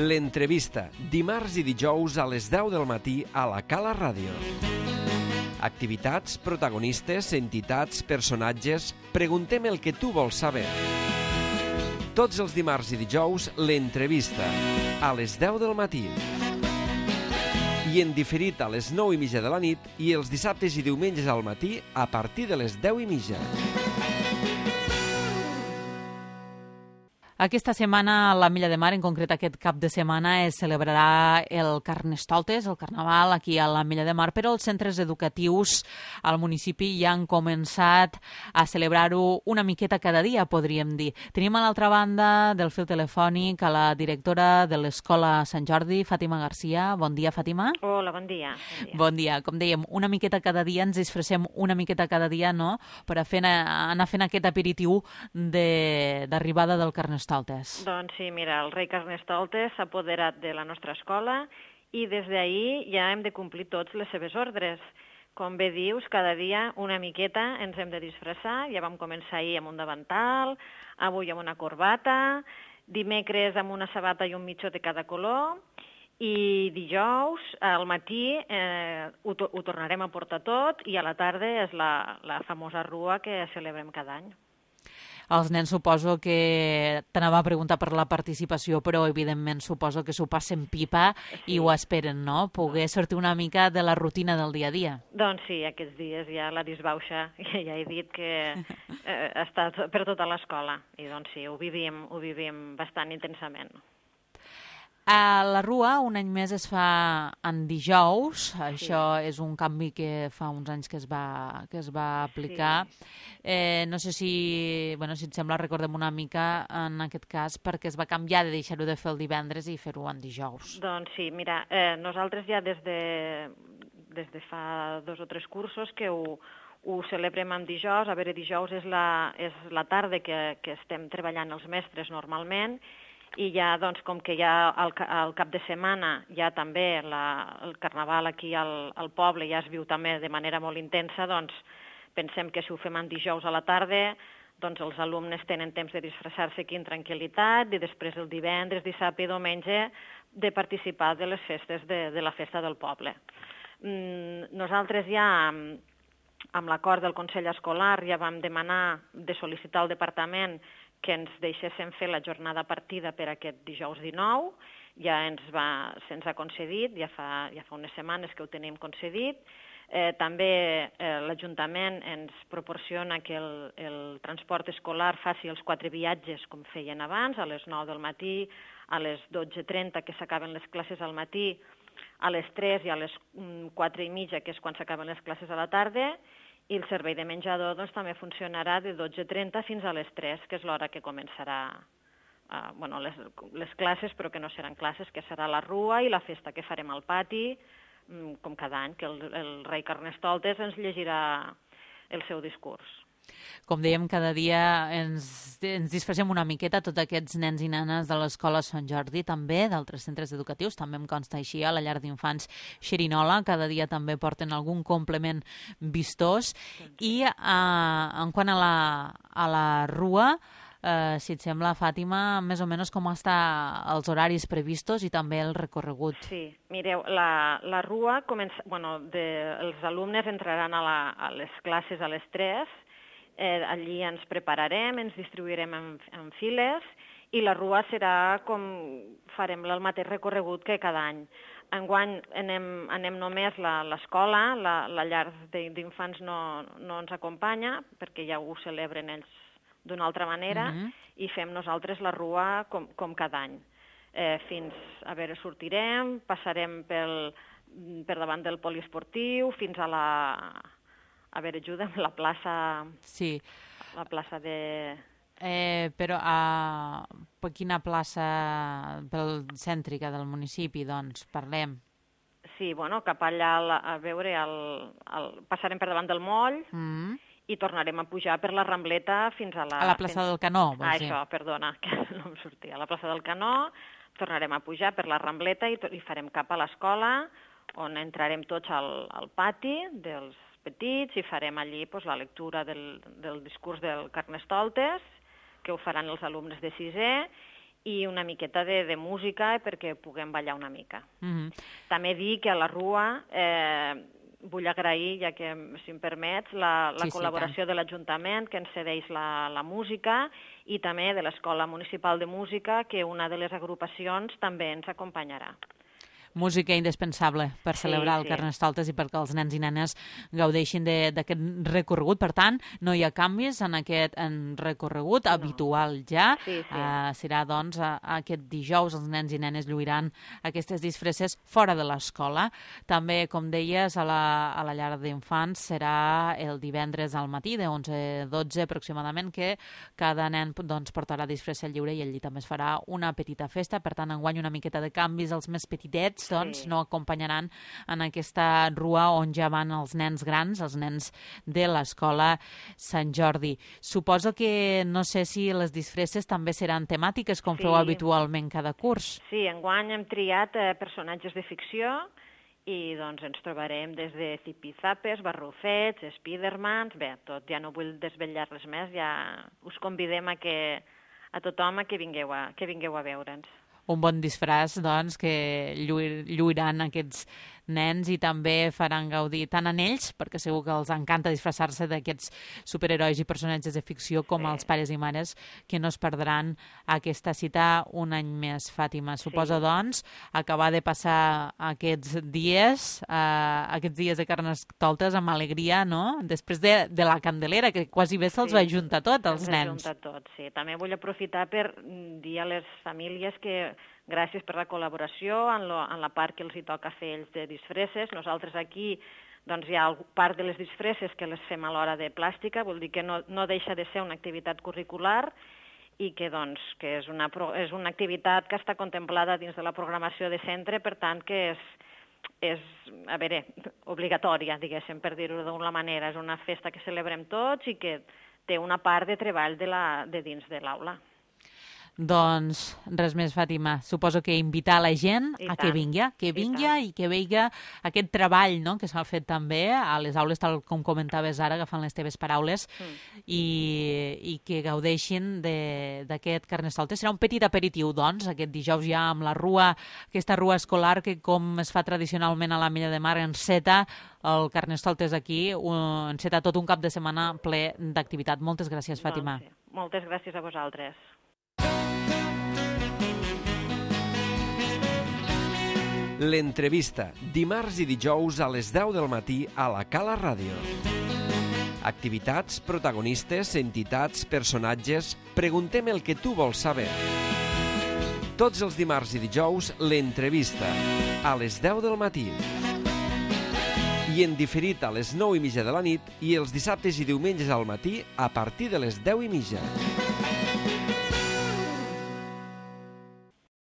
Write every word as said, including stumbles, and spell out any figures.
L'entrevista, dimarts i dijous a les deu del matí a la Cala Ràdio. Activitats, protagonistes, entitats, personatges... Preguntem el que tu vols saber. Tots els dimarts i dijous, l'entrevista, a les deu del matí. I en diferit a les nou i mitja de la nit i els dissabtes i diumenges al matí a partir de les deu i mitja. Aquesta setmana a l'Ametlla de Mar, en concret aquest cap de setmana, es celebrarà el Carnestoltes, el Carnaval, aquí a l'Ametlla de Mar, però els centres educatius al municipi ja han començat a celebrar-ho una miqueta cada dia, podríem dir. Tenim a l'altra banda del fil telefònic a la directora de l'Escola Sant Jordi, Fàtima Garcia. Bon dia, Fàtima. Hola, bon dia. Bon dia. Bon dia. Com dèiem, una miqueta cada dia, ens disfressem una miqueta cada dia, no?, per a fer, anar fent aquest aperitiu d'arribada del Carnestoltes. Doncs sí, mira, el rei Carnestoltes s'ha apoderat de la nostra escola i des d'ahir ja hem de complir tots les seves ordres. Com bé dius, cada dia una miqueta ens hem de disfressar. Ja vam començar ahir amb un davantal, avui amb una corbata, dimecres amb una sabata i un mitjó de cada color, i dijous al matí eh, ho, ho tornarem a portar tot i a la tarda és la, la famosa rua que celebrem cada any. Els nens suposo que t'anava a preguntar per la participació, però evidentment suposo que s'ho passen pipa sí. I ho esperen, no? Poder sortir una mica de la rutina del dia a dia. Doncs sí, aquests dies ja la disbauxa, ja he dit que eh, està per tota l'escola i doncs sí, ho vivim, ho vivim bastant intensament. A la Rua un any més es fa en dijous, sí. Això és un canvi que fa uns anys que es va, que es va aplicar. Sí. Eh, no sé si, bueno, si et sembla, recordem una mica en aquest cas perquè es va canviar de deixar-ho de fer el divendres i fer-ho en dijous. Doncs sí, mira, eh, nosaltres ja des de, des de fa dos o tres cursos que ho, ho celebrem en dijous. A veure, dijous és la, és la tarda que, que estem treballant els mestres normalment, i ja, doncs, com que ja al, al cap de setmana ja també la, el Carnaval aquí al, al poble ja es viu també de manera molt intensa, doncs pensem que si ho fem en dijous a la tarda, doncs els alumnes tenen temps de disfressar-se aquí en tranquil·litat i després el divendres, dissabte i diumenge de participar de les festes de, de la festa del poble. Mm, nosaltres ja, amb l'acord del Consell Escolar, ja vam demanar de sol·licitar al departament que ens deixéssim fer la jornada partida per aquest dijous dinou, ja ens va, se'ns ha concedit, ja fa, ja fa unes setmanes que ho tenim concedit. Eh, també eh, l'Ajuntament ens proporciona que el, el transport escolar faci els quatre viatges com feien abans, a les nou del matí, a les dotze trenta, que s'acaben les classes al matí, a les tres i a les quatre i mitja, que és quan s'acaben les classes a la tarda, i el servei de menjador doncs, també funcionarà de dotze trenta fins a les tres, que és l'hora que començarà uh, bueno, les, les classes, però que no seran classes, que serà la rua i la festa que farem al pati, um, com cada any, que el, el rei Carnestoltes ens llegirà el seu discurs. Com dèiem, cada dia ens, ens disfressem una miqueta, tots aquests nens i nenes de l'Escola Sant Jordi, també d'altres centres educatius, també em consta així, a la llar d'infants Xerinola, cada dia també porten algun complement vistós. I eh, en quant a la, a la Rua, eh, si et sembla, Fàtima, més o menys com estan els horaris previstos i també el recorregut. Sí, mireu, la, la Rua, comença, bueno, de, els alumnes entraran a, la, a les classes a les tres, Eh, allí ens prepararem, ens distribuirem en, en files i la rua serà com farem el mateix recorregut que cada any. Enguany anem, anem només l'escola, la, la llar d'infants no, no ens acompanya perquè ja ho celebren ells d'una altra manera uh-huh. i fem nosaltres la rua com, com cada any. Eh, fins, a veure, sortirem, passarem pel, per davant del poliesportiu fins a la... A veure, ajuda'm, la plaça... Sí. La plaça de... Eh, però a per quina plaça pel cèntrica del municipi, doncs, parlem? Sí, bueno, cap allà, a veure, el, el, passarem per davant del moll mm. i tornarem a pujar per la Rambleta fins a la... A la plaça fins... del Canó, vols ah, dir? Això, perdona, que no em sortia. A la plaça del Canó tornarem a pujar per la Rambleta i, i farem cap a l'escola, on entrarem tots al, al pati dels petits i farem allí pues, la lectura del, del discurs del Carnestoltes, que ho faran els alumnes de sisè, i una miqueta de, de música perquè puguem ballar una mica. Mm-hmm. També dir que a la Rua eh, vull agrair, ja que, si em permets, la, la Sí, sí, col·laboració de l'Ajuntament, que ens cedeix la, la música, i també de l'Escola Municipal de Música, que una de les agrupacions també ens acompanyarà. Música indispensable per Sí, celebrar el sí. Carnestoltes i perquè els nens i nenes gaudeixin de- d'aquest recorregut. Per tant, no hi ha canvis en aquest en recorregut No. habitual ja. Sí, sí. Uh, serà, doncs, a, a aquest dijous els nens i nenes lluiran aquestes disfresses fora de l'escola. També, com deies, a la, a la llar d'infants serà el divendres al matí, de onze a dotze aproximadament, que cada nen doncs, portarà disfressa lliure i allí també es farà una petita festa. Per tant, enguany una miqueta de canvis. Els més petitets doncs, Sí. no acompanyaran en aquesta rua on ja van els nens grans, els nens de l'escola Sant Jordi. Suposo que no sé si les disfresses també seran temàtiques, com Sí. feu habitualment cada curs. Sí, enguany hem triat eh, personatges de ficció i doncs ens trobarem des de zipizapes, barrufets, spidermans, bé, tot, ja no vull desvetllar res més, ja us convidem a que a tothom a que vingueu a, que vingueu a veure'ns. Un bon disfraç, doncs, que lluir, lluiran aquests nens i també faran gaudir tant en ells, perquè segur que els encanta disfressar-se d'aquests superherois i personatges de ficció, com Sí. els pares i mares, que no es perdran aquesta cita un any més, Fàtima. Suposa, Sí. doncs, acabar de passar aquests dies, eh, aquests dies de Carnestoltes amb alegria, no? Després de, de la Candelera, que quasi bé se'ls Sí. va juntar tot, els Ens nens. ajunta tot, sí. També vull aprofitar per mm, dir a les famílies que gràcies per la col·laboració en, lo, en la part que els hi toca fer ells de disfresses. Nosaltres aquí doncs, hi ha part de les disfresses que les fem a l'hora de plàstica, vol dir que no, no deixa de ser una activitat curricular i que, doncs, que és, una, pro- és una activitat que està contemplada dins de la programació de centre, per tant que és, és a veure, obligatòria, diguéssim, per dir-ho d'una manera. És una festa que celebrem tots i que té una part de treball de, la, de dins de l'aula. Doncs res més, Fàtima. Suposo que invitar la gent I a tant, que vingui, que i vingui tant. i que veiga aquest treball, no?, que s'ha fet també a les aules, tal com comentaves ara, agafant les teves paraules, Mm. i, i que gaudeixin de- d'aquest Carnestoltes. Serà un petit aperitiu, doncs, aquest dijous ja amb la rua, aquesta rua escolar que, com es fa tradicionalment a la Mella de Mar, enceta el Carnestoltes aquí, un, enceta tot un cap de setmana ple d'activitat. Moltes gràcies, Fàtima. Doncs, sí. Moltes gràcies a vosaltres. L'entrevista, dimarts i dijous a les deu del matí a la Cala Ràdio. Activitats, protagonistes, entitats, personatges... Preguntem el que tu vols saber. Tots els dimarts i dijous, l'entrevista, a les deu del matí. I en diferit a les nou i mitja de la nit i els dissabtes i diumenges al matí a partir de les deu i mitja.